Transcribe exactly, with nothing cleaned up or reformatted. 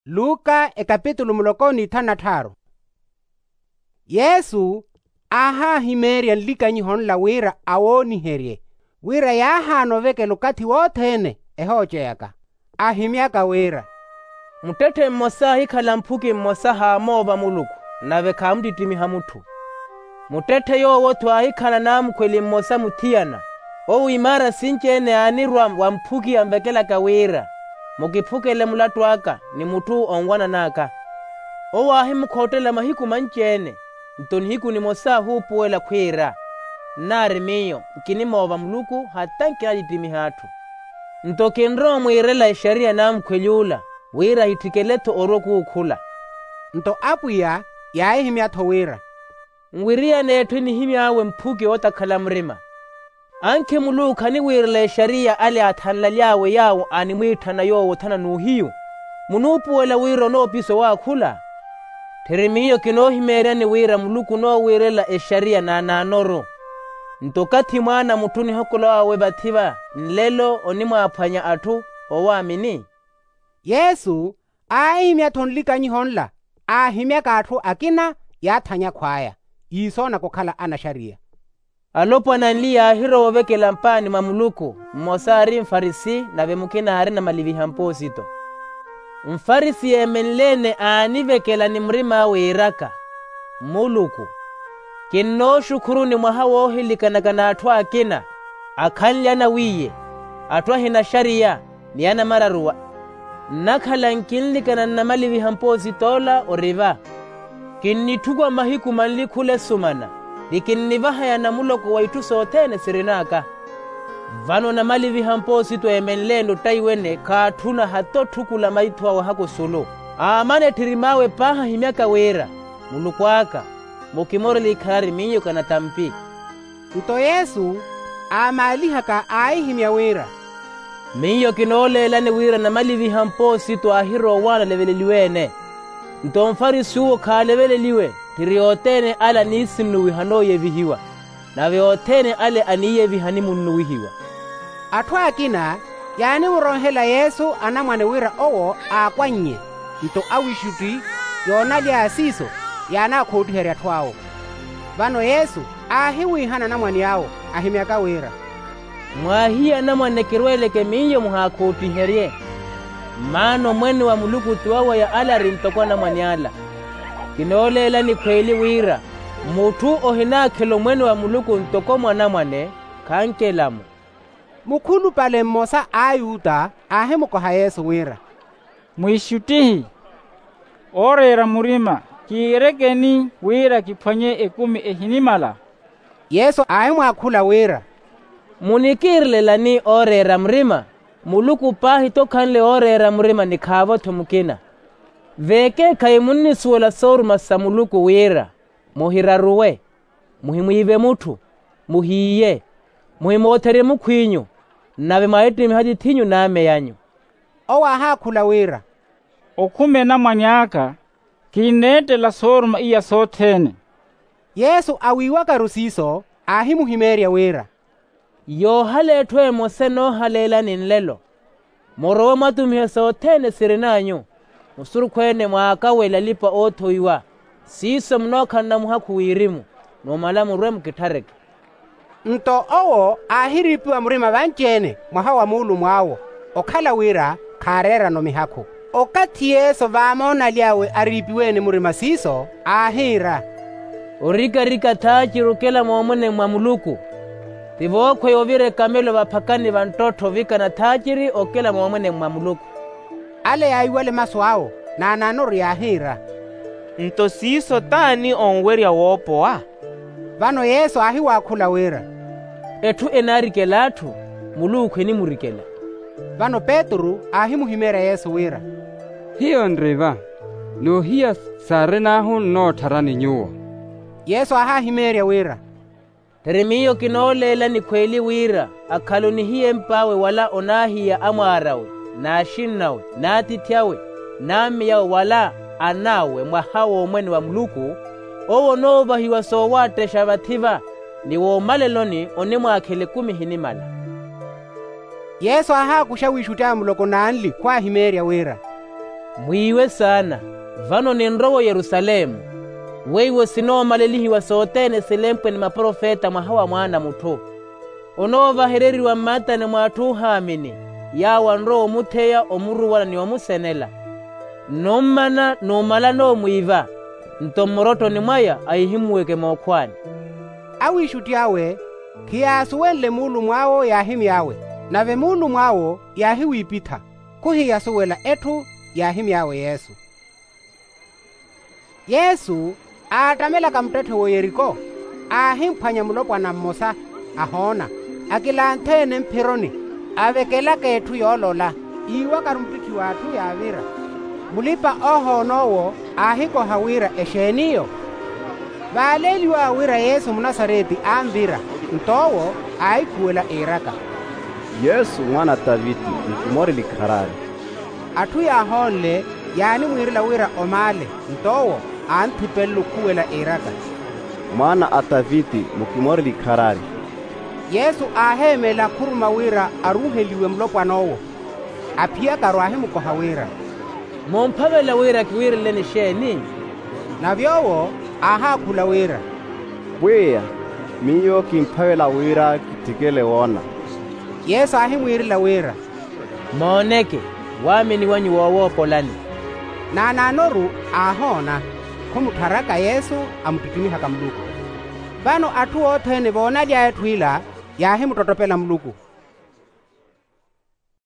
Luka ekapitulu muloko n'ithanu na tthaaru. Yesu aahaahimeerya nlikanyiho nla wira awooniherye, wira yaahaana ovekela okathi wothene ehooceyaka. Aahimyaka wira, muttetthe mmosa aahikhala mphuki mmosa haamoova muluku, nave khaamuttittimiha mutthu. Muttetthe yoowo-tho aahikhala naamukhweli mmosa muthiyana. Owo imaara sinci-ene aanirwa wa mphuki anvekelaka wira, mukiphukele mulattu aka ni mutthu onwanan'aka. Owo aahimukhottela mahiku manci-ene. Nto nihiku nimosa aahuupuwela khwiira, nnaari miyo nkinimoova muluku hata nkinatittimiha atthu. Nto kinrowa omwiirela exariya naamukhweli ola, wira ahitthikele-tho orwa okuukhula. Nto apwiya yaahihimya-tho wira, nwiriyane etthu enihimy'awe mphuki ootakhala murima. Ankhi muluku khaniwiirela exariya ale aathanlaly'awe yaawo animwiitthana yoowo othana n'uhiyu. Munuupuwela wira onoopisa owaakhula? Tthiri miyo kinoohimeeryani wira muluku onoowiirela exariya naanaanoru. Nto okathi mwaana a mutthu onihokola awe vathi-va, nlelo onimwaaphwanya atthu owaamini. Yesu aahihimya-tho nlikanyiho nla, aahimyaka atthu akina yaathanya khwaya, iisoonaka okhala anaxariya. Alopwana anli yaahirowa ovekela mpaani mwa muluku, mmosa aari mfarisi nave mukina aarina maliviha mpoosito. Mfarisi yeemenle-ene aanivekela ni murim'awe iiraka, muluku, kinnooxukhuruni mwaha woohilikanaka n'atthu akina, akhanly'ana wiiye, atthu ahinaxariya, ni anamararuwa. Nnakhala nkinlikana nnamaliviha mpoosit'ola ori va. Kinnitthukwa mahiku manli khula esumana, ni kinnivahaya namuloko wa itthu sothene sirin'aka. Vano namaliviha mpoosito eemenle-ene ottaiwene khaatthuna hata otthukula maitho awe haka osulu. Aamana etthirim'awe paahi ahimyaka wira, muluku aka, mukimorele ikharari miyo kanatampi. Nto yesu aamaalihaka aahihimya wira, miyo kinooleelani wira namaliviha mpoosito aahirowa owaana aleveleliwe-ene. Nto mfarisi uwo khaaleveleliwe, tthiri othene ale aniisinnuwiha anooyevihiwa, nave othene ale aniiyeviha animunnuwihiwa. Atthu akina yaanimuronhela yesu anamwane wira owo aakwannye. Nto awixutti yoonaly'aya siiso yaanaakhoottiherya atthu awo. Vano yesu aahiwiihana anamwane awo, ahimyaka wira, mwaahiye anamwane kirweeleke miyo muhaakhoottiherye. Maana omwene wa muluku ti waweya ale ari ntoko anamwane ala. Kinooleelani khweeli wira, mutthu ohinaakhela omwene wa muluku ntoko mwanamwane, khankelamu. Mukhulupale mmosa a ayuta aahimukoha yesu wira, mwiixuttihi, ooreera murima kiirekeni wira kiphwanye ekumi ehinimala? Yesu aahimwaakhula wira, munikiirelelani ooreera murima? Muluku paahi t'okhanle ooreera murima ni khaavo-tho mukina. Veekeekhayi munnisuwela sooruma sa muluku wira, muhiraruwe, muhimwiive mutthu, muhiiye, muhimootherye mukhw'inyu, nave mwahittimiha atith'inyu n'amey'anyu. Owo aahaakhula wira, okhume namwane aka, kinneettela sooruma iya sothene. Yesu awiiwakaru siiso aahimuhimeerya wira, yoohala etthu emosa enoohaleelani nlelo. Murowe mwatumihe sothene sirin'anyu, musurukhu-ene mwaakawela alipa-oothowiwa, siiso munookhalana muhakhu wirimu, numala murwe mukitthareke. Nto owo aahiriipiwa murima vanci-ene mwaha wa muulumw'awo, okhala wira khaareerano mihakhu. Okathi yesu vaamoonaly'awe ariipiwe-ene murima siiso, aahiira, orikarika thaaciri okela moomwene mwa muluku, ti vookhweya ovira ekamelo vaphakani va nttotto ovikana thaaciri okela moomwene mwa muluku. Ale yaahiwale masu awo, naanaanoru yaahiira, nto siiso t'ani onwerya woopowa? Vano yesu aahiwaakhula wira, etthu enaarikela atthu, muluku enimurikela. Vano petru aahimuhimeerya yesu wira, hiyo nri va, n'uhiya saarin'ahu nnoottharani nyuwo. Yesu aahaahimeerya wira, tthiri miyo kinooleelani khweeli wira, akhala onihiyemp'awe wala onaahiya amwaar'awe, n'axinn'awe, n'atiithi awe, n'ammeyawe wala an'awe mwaha w'omwene wa muluku, owo onoovahiwa soowaattexxa vathi-va, ni woomaleloni onimwaakhela ekumi ehinimala. Yesu aahaakuxa wiixutti awe muloko n'anli khwaahimeerya wira, Mwiiwe saana, vano ninrowa oyerusalemu, weiwo sinoomalelihiwa sothene silempwe ni maprofeta mwaha wa mwaana a mutthu. Onoovahereriwa mmaatani mw'atthu oohaamini, yaawo anrowa omutheya omuruwana ni omusenela. Nnummana n'umalana omwiiva, nto mmurottoni mwaya ahihimuweke mookhwaani. Awiixutti awe khiyaasuwenle muulumw'awo yaahimy'awe, nave muulumw'awo yaahiwiipitha, khuhiyasuwela etthu yaahimy'awe yesu. Yesu, aattamelaka muttetthe w'oyeriko, aahimphwanya mulopwana mmosa, ahoona, akilanthe-ene mphironi, avekelaka etthu yoolola, iiwakaru muttitthiw'atthu yaavira. Mulipa-oohoona owo aahikoha wira exeen'iyo? Vaaleeliw'awe wira yesu munasareti anvira. Nto owo aahikhuwela iiraka, yesu mwaana a taviti, mukimoreli kharari. Atthu yaahoonle, yaanimwiirela wira omaale. Nto owo aanthipelele okhuwela iiraka, mwaana a taviti, mukimoreli kharari. Yesu aaheemela khuruma wira aruuheliwe mulopwan'owo. Aphiyakaru aahimukoha wira, mumphavela wira kiwiireleleni exeeni? Nave owo aahaakhula wira, pwiya, miyo kimphavela wira kitthikele woona. Yesu aahimwiirela wira, mooneke, waamini wanyu woowoopolani. Naanaanoru aahoona, khumuttharaka yesu, amuttittimiha ka muluku. Vano atthu othene voonaly'aya etthu ila, yaahimuttottopela muluku.